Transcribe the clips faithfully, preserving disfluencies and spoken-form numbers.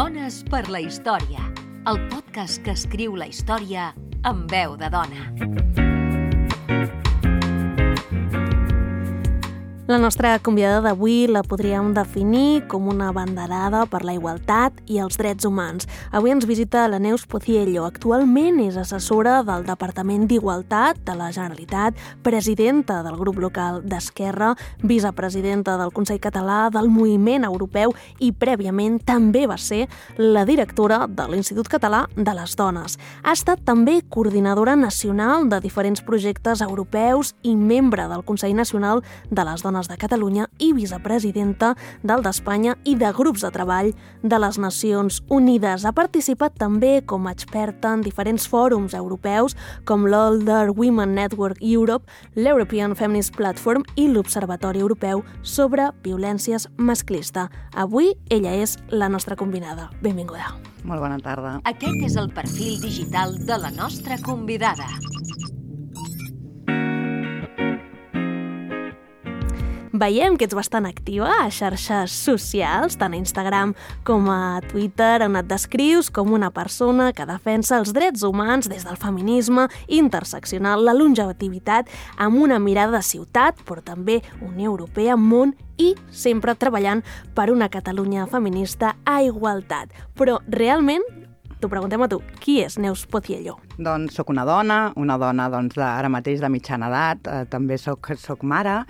Dones per la història, el podcast que escriu la història amb veu de dona. La nostra convidada d'avui la podríem definir com una abanderada per la igualtat i els drets humans. Avui ens visita la Neus Pociello. Actualment és assessora del Departament d'Igualtat de la Generalitat, presidenta del grup local d'Esquerra, vicepresidenta del Consell Català del Moviment Europeu i prèviament també va ser la directora de l'Institut Català de les Dones. Ha estat també coordinadora nacional de diferents projectes europeus i membre del Consell Nacional de les Dones de Catalunya i vicepresidenta del d'Espanya i de grups de treball de les Nacions Unides. Ha participat també com a experta en diferents fòrums europeus com l'Older Women Network Europe, l'European Feminist Platform i l'Observatori Europeu sobre Violències Masclista. Avui ella és la nostra convidada. Benvinguda. Molt bona tarda. Aquest és el perfil digital de la nostra convidada. Veiem que ets bastant activa a xarxes socials, tant a Instagram com a Twitter, on et descrius com una persona que defensa els drets humans des del feminisme interseccional, la longevitivitat, amb una mirada de ciutat, però també Unió Europea, món i sempre treballant per una Catalunya feminista a igualtat. Però realment, t'ho preguntem a tu, qui és Neus Pociello? Doncs soc una dona, una dona doncs, de, ara mateix de mitjana edat, eh, també soc, soc mare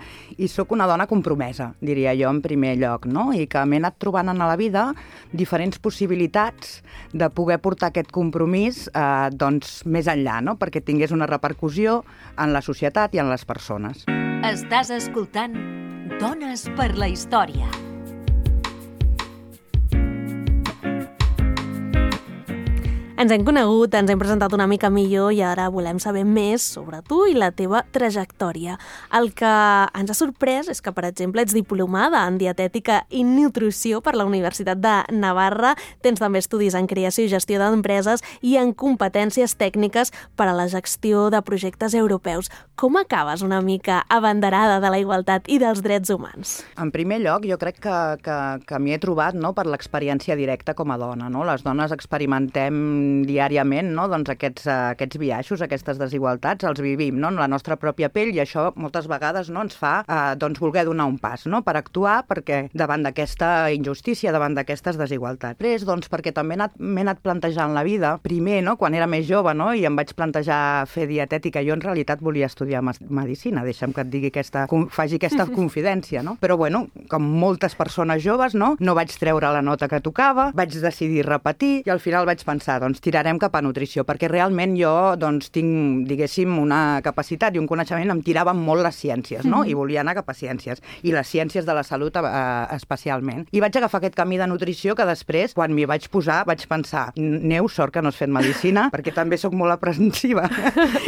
i soc una dona compromesa, diria jo, en primer lloc, no? I que m'he anat trobant en la vida diferents possibilitats de poder portar aquest compromís eh, doncs, més enllà, no? Perquè tingués una repercussió en la societat i en les persones. Estàs escoltant Dones per la història. Ens hem conegut, ens hem presentat una mica millor i ara volem saber més sobre tu i la teva trajectòria. El que ens ha sorprès és que, per exemple, ets diplomada en dietètica i nutrició per la Universitat de Navarra, tens també estudis en creació i gestió d'empreses i en competències tècniques per a la gestió de projectes europeus. Com acabes una mica abanderada de la igualtat i dels drets humans? En primer lloc, jo crec que, que, que m'hi he trobat no, per l'experiència directa com a dona. No? Les dones experimentem diàriament no? doncs aquests, aquests biaixos, aquestes desigualtats, els vivim no? en la nostra pròpia pell i això moltes vegades no? ens fa eh, doncs, voler donar un pas no? per actuar perquè davant d'aquesta injustícia, davant d'aquestes desigualtats. Després, doncs, perquè també m'he anat, anat plantejant la vida, primer, no? quan era més jove no? i em vaig plantejar fer dietètica, jo en realitat volia estudiar medicina, deixa'm que et digui aquesta, faci aquesta confidència, no? Però bueno, com moltes persones joves, no? no vaig treure la nota que tocava, vaig decidir repetir i al final vaig pensar, doncs tirarem cap a nutrició, perquè realment jo doncs, tinc, diguéssim, una capacitat i un coneixement, em tiraven molt les ciències, no? I volia anar cap a ciències, i les ciències de la salut eh, especialment. I vaig agafar aquest camí de nutrició que després, quan m'hi vaig posar, vaig pensar, Neus, sort que no has fet medicina, perquè també sóc molt aprensiva.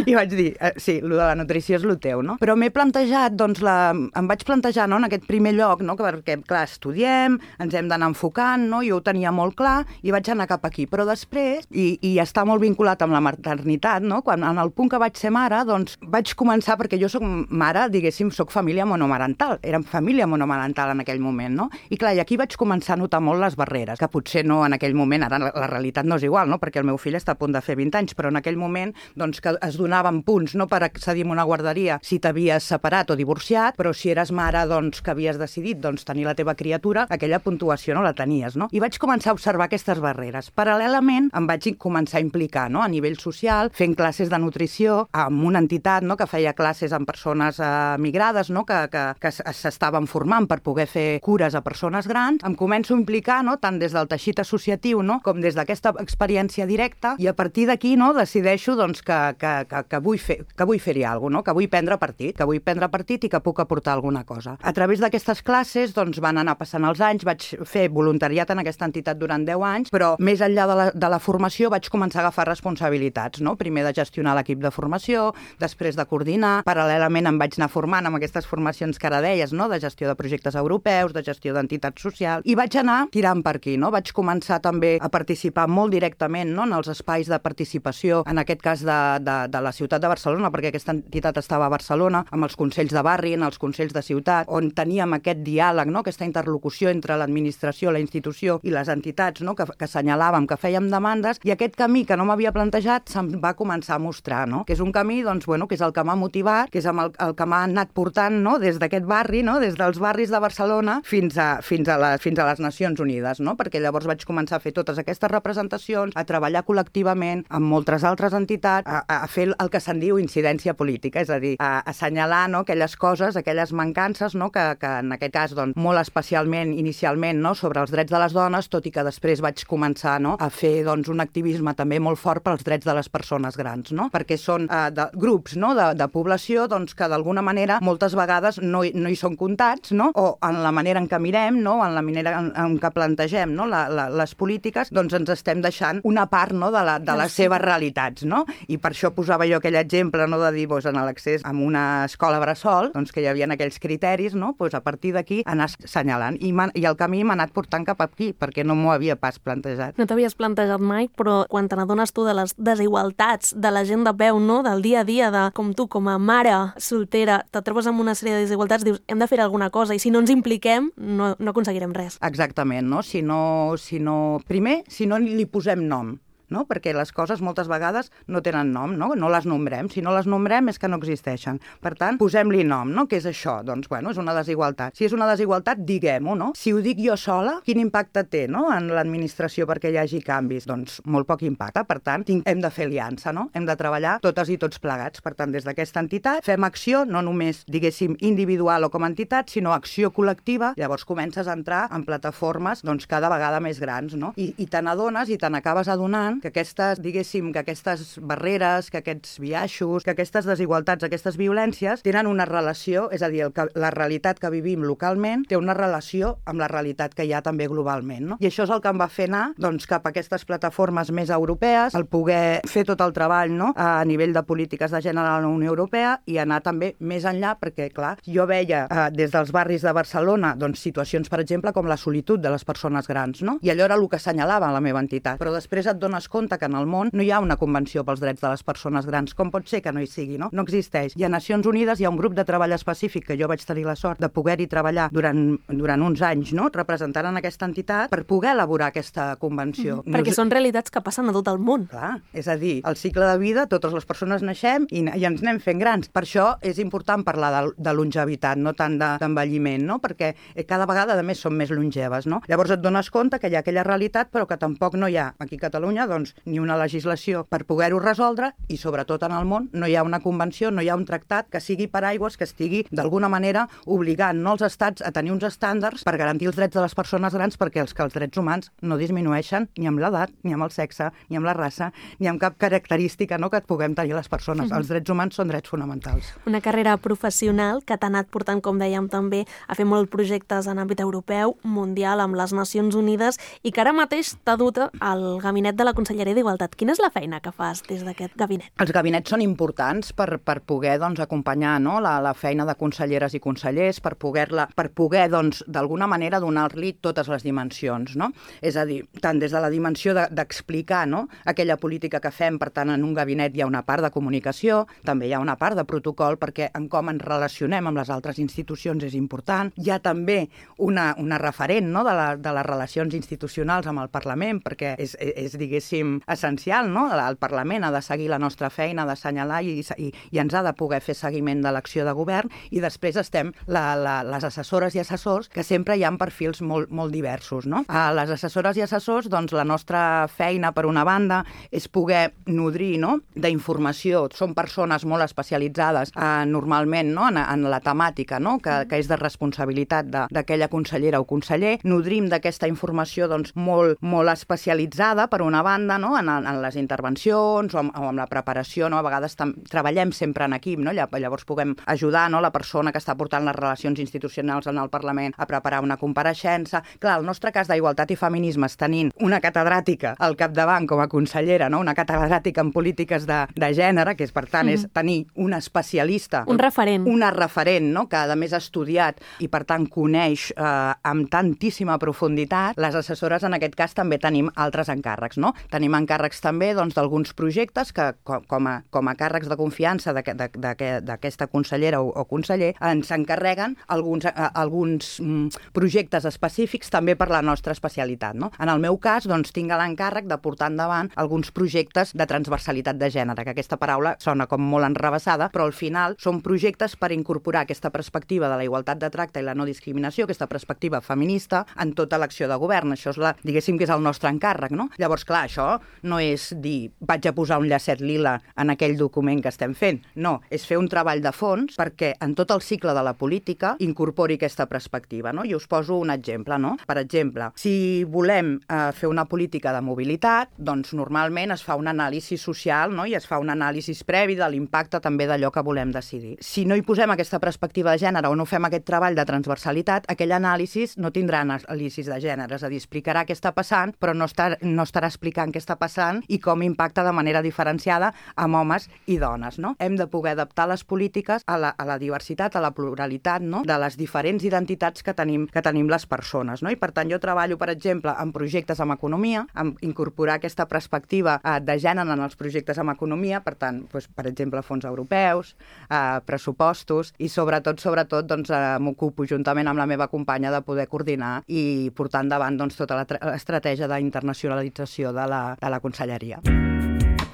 I vaig dir, eh, sí, lo de la nutrició és lo teu, no? Però m'he plantejat, doncs, la... em vaig plantejar no, en aquest primer lloc, no? perquè, clar, estudiem, ens hem d'anar enfocant, no? Jo ho tenia molt clar i vaig anar cap aquí. Però després, i, i està molt vinculat amb la maternitat, no? Quan en el punt que vaig ser mare, doncs vaig començar, perquè jo soc mare, diguéssim, soc família monomarental, érem família monomarental en aquell moment, no? I clar, i aquí vaig començar a notar molt les barreres, que potser no en aquell moment, ara la, la realitat no és igual, no? Perquè el meu fill està a punt de fer vint anys, però en aquell moment, doncs, que es donaven punts, no?, per accedir a una guarderia si t'havies separat o divorciat, però si eres mare, doncs, que havies decidit, doncs, tenir la teva criatura, aquella puntuació no la tenies, no? I vaig començar a observar aquestes barreres. Paral·lelament, em vaig començar a implicar no? a nivell social, fent classes de nutrició amb una entitat no? que feia classes amb persones eh, migrades no? que, que, que s'estaven formant per poder fer cures a persones grans. Em començo a implicar no? tant des del teixit associatiu no? com des d'aquesta experiència directa i a partir d'aquí no? decideixo doncs, que, que, que, que vull fer, que vull fer-hi alguna cosa, no? que vull prendre partit, que vull prendre partit i que puc aportar alguna cosa. A través d'aquestes classes doncs, van anar passant els anys, vaig fer voluntariat en aquesta entitat durant deu anys, però més enllà de la, de la formació formació vaig començar a agafar responsabilitats, no? Primer de gestionar l'equip de formació, després de coordinar, paral·lelament em vaig anar formant amb aquestes formacions que ara deies, no? De gestió de projectes europeus, de gestió d'entitats socials, i vaig anar tirant per aquí, no? Vaig començar també a participar molt directament, no? En els espais de participació, en aquest cas de, de, de la ciutat de Barcelona, perquè aquesta entitat estava a Barcelona, amb els consells de barri, en els consells de ciutat, on teníem aquest diàleg, no? Aquesta interlocució entre l'administració, la institució i les entitats, no? que, que assenyalàvem, que fèiem demandes, i aquest camí que no m'havia plantejat se'm va començar a mostrar, no? Que és un camí, doncs, bueno, que és el que m'ha motivat, que és el, el que m'ha anat portant, no? Des d'aquest barri, no? Des dels barris de Barcelona fins a, fins a, la, fins a les Nacions Unides, no? Perquè llavors vaig començar a fer totes aquestes representacions, a treballar col·lectivament amb moltes altres entitats, a, a fer el que se'n diu incidència política, és a dir, a, a assenyalar, no? Aquelles coses, aquelles mancances, no? que, que en aquest cas, doncs, molt especialment, inicialment, no? Sobre els drets de les dones, tot i que després vaig començar, no? A fer, doncs, un activisme també molt fort pels drets de les persones grans, no? Perquè són eh, de, grups, no? de, de població, doncs, que d'alguna manera moltes vegades no, no hi són comptats, no? O en la manera en què mirem, no? En la manera en, en què plantegem, no? la, la, les polítiques, doncs ens estem deixant una part, no? de, la, de les seves realitats, no? I per això posava jo aquell exemple, no? De dir, doncs, en l'accés a una escola bressol, doncs, que hi havia aquells criteris, no? Doncs a partir d'aquí anar assenyalant. I, I el camí m'ha anat portant cap aquí, perquè no m'ho havia pas plantejat. No t'havies plantejat mai, però quan te n'adones tu de les desigualtats de la gent de peu, no? Del dia a dia, de com tu, com a mare soltera, te trobes amb una sèrie de desigualtats, dius, hem de fer alguna cosa, i si no ens impliquem, no, no aconseguirem res. Exactament, no? Si no, si no... Primer, si no li posem nom, no? Perquè les coses moltes vegades no tenen nom, no? No les nombrem. Si no les nombrem és que no existeixen. Per tant, posem-li nom, no? Què és això? Doncs, bueno, és una desigualtat. Si és una desigualtat, diguem-ho, no? Si ho dic jo sola, quin impacte té, no? En l'administració perquè hi hagi canvis? Doncs molt poc impacte. Per tant, hem de fer aliança, no? Hem de treballar totes i tots plegats. Per tant, des d'aquesta entitat fem acció, no només, diguéssim, individual o com a entitat, sinó acció col·lectiva. Llavors comences a entrar en plataformes, doncs, cada vegada més grans, no? I, i te n'adones i te n'acabes adonant que aquestes, diguéssim, que aquestes barreres, que aquests biaixos, que aquestes desigualtats, aquestes violències tenen una relació, és a dir, el que, la realitat que vivim localment té una relació amb la realitat que hi ha també globalment, no? I això és el que em va fer anar, doncs, cap a aquestes plataformes més europees, el poder fer tot el treball, no?, a nivell de polítiques de gènere a la Unió Europea i anar també més enllà, perquè, clar, jo veia eh, des dels barris de Barcelona, doncs, situacions, per exemple, com la solitud de les persones grans, no? I allò era el que assenyalava la meva entitat. Però després et dones compte que en el món no hi ha una convenció pels drets de les persones grans. Com pot ser que no hi sigui, no? No existeix. I a Nacions Unides hi ha un grup de treball específic que jo vaig tenir la sort de poder-hi treballar durant, durant uns anys, no?, representant en aquesta entitat per poder elaborar aquesta convenció. Mm-hmm. Perquè són realitats que passen a tot el món. Clar, és a dir, el cicle de vida, totes les persones naixem i, i ens anem fent grans. Per això és important parlar de, de longevitat, no tant d'envelliment, no?, perquè cada vegada, a més, som més longeves, no? Llavors et dones compte que hi ha aquella realitat, però que tampoc no hi ha, aquí a Catalunya, doncs, ni una legislació per poder-ho resoldre i, sobretot, en el món no hi ha una convenció, no hi ha un tractat que sigui paraigües, que estigui, d'alguna manera, obligant, no, els estats a tenir uns estàndards per garantir els drets de les persones grans, perquè els que els drets humans no disminueixen ni amb l'edat, ni amb el sexe, ni amb la raça, ni amb cap característica, no?, que et puguem tenir les persones. Mm-hmm. Els drets humans són drets fonamentals. Una carrera professional que t'ha anat portant, com dèiem també, a fer molts projectes en àmbit europeu, mundial, amb les Nacions Unides, i que ara mateix t'ha dut al gabinet de la Conselleria d'Igualtat. Quina és la feina que fas des d'aquest gabinet? Els gabinets són importants per, per poder, doncs, acompanyar, no?, la, la feina de conselleres i consellers, per poder-la, per poder, doncs, d'alguna manera donar-li totes les dimensions, no? És a dir, tant des de la dimensió d'explicar, no?, aquella política que fem, per tant, en un gabinet hi ha una part de comunicació, també hi ha una part de protocol, perquè en com ens relacionem amb les altres institucions és important. Hi ha també una, una referent, no?, de, la, de les relacions institucionals amb el Parlament, perquè és, és diguéssim, essencial, no? El Parlament ha de seguir la nostra feina, ha d'assenyalar i, i, i ens ha de poder fer seguiment de l'acció de govern, i després estem la, la, les assessores i assessors, que sempre hi ha perfils molt, molt diversos, no? A les assessores i assessors, doncs, la nostra feina, per una banda, és poder nodrir, no?, d'informació. Són persones molt especialitzades, eh, normalment, no?, en, en la temàtica, no?, que, que és de responsabilitat d'aquella consellera o conseller. Nodrim d'aquesta informació, doncs, molt, molt especialitzada, per una banda, banda, no? en, en les intervencions o amb, o amb la preparació, no? A vegades tam, treballem sempre en equip, no? Llavors puguem ajudar, no? La persona que està portant les relacions institucionals en el Parlament a preparar una compareixença. Clar, el nostre cas d'Igualtat i Feminismes, tenint una catedràtica al capdavant com a consellera, no? Una catedràtica en polítiques de, de gènere, que és, per tant, mm. és tenir una especialista, un referent, una referent, no? Que a més ha estudiat i, per tant, coneix eh, amb tantíssima profunditat. Les assessores, en aquest cas, també tenim altres encàrrecs, no? Tenim encàrrecs també doncs, d'alguns projectes que, com a, com a càrrecs de confiança d'aquesta consellera o, o conseller, ens encarreguen alguns, alguns mm, projectes específics també per la nostra especialitat, no? En el meu cas, doncs, tinc l'encàrrec de portar endavant alguns projectes de transversalitat de gènere, que aquesta paraula sona com molt enrevessada, però al final són projectes per incorporar aquesta perspectiva de la igualtat de tracte i la no discriminació, aquesta perspectiva feminista, en tota l'acció de govern. Això és la, diguéssim que és el nostre encàrrec, no? Llavors, clar, això no és dir vaig a posar un llacet lila en aquell document que estem fent. No, és fer un treball de fons perquè en tot el cicle de la política incorpori aquesta perspectiva, no? I us poso un exemple, no? Per exemple, si volem eh, fer una política de mobilitat, doncs normalment es fa un anàlisi social, no? I es fa un anàlisi previ de l'impacte també d'allò que volem decidir. Si no hi posem aquesta perspectiva de gènere o no fem aquest treball de transversalitat, aquell anàlisi no tindrà anàlisis de gènere, és a dir, explicarà què està passant, però no, estar, no estarà explicant què està passant i com impacta de manera diferenciada amb homes i dones, no? Hem de poder adaptar les polítiques a la, a la diversitat, a la pluralitat, no? De les diferents identitats que tenim, que tenim les persones, no? I per tant jo treballo, per exemple, en projectes amb economia, en incorporar aquesta perspectiva eh, de gènere en els projectes amb economia, per tant, doncs, per exemple, fons europeus, eh, pressupostos i sobretot, sobretot, doncs, eh, m'ocupo juntament amb la meva companya de poder coordinar i portar endavant doncs, tota l'estratègia d'internacionalització de la, de la conselleria.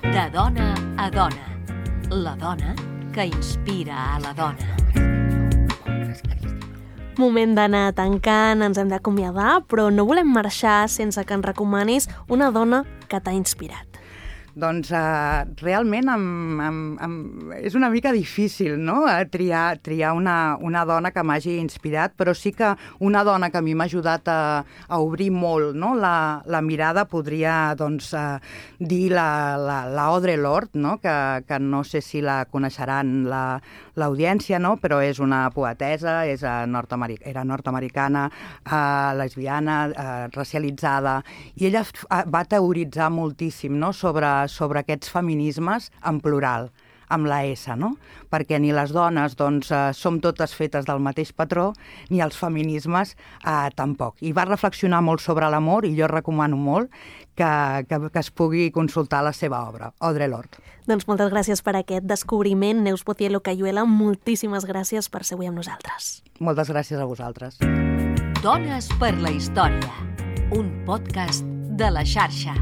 De dona a dona. La dona que inspira a la dona. Moment d'anar tancant, ens hem d'acomiadar, però no volem marxar sense que ens recomanis una dona que t'ha inspirat. Doncs uh, realment em, em, em, és una mica difícil, no?, triar, triar una, una dona que m'hagi inspirat, però sí que una dona que a mi m'ha ajudat a, a obrir molt, no?, la, la mirada, podria doncs, uh, dir la, la, la Audre Lorde, no?, que, que no sé si la coneixeran la, l'audiència, no?, però és una poetesa, és uh, nord-americ- era nord-americana, uh, lesbiana, uh, racialitzada, i ella va teoritzar moltíssim, no?, sobre sobre aquests feminismes en plural, amb la S, no? Perquè ni les dones doncs, eh, som totes fetes del mateix patró, ni els feminismes eh, tampoc. I va reflexionar molt sobre l'amor i jo recomano molt que, que, que es pugui consultar la seva obra, Audre Lorde. Doncs moltes gràcies per aquest descobriment, Neus Poziello Cayuela. Moltíssimes gràcies per ser avui amb nosaltres. Moltes gràcies a vosaltres. Dones per la història, un podcast de la xarxa.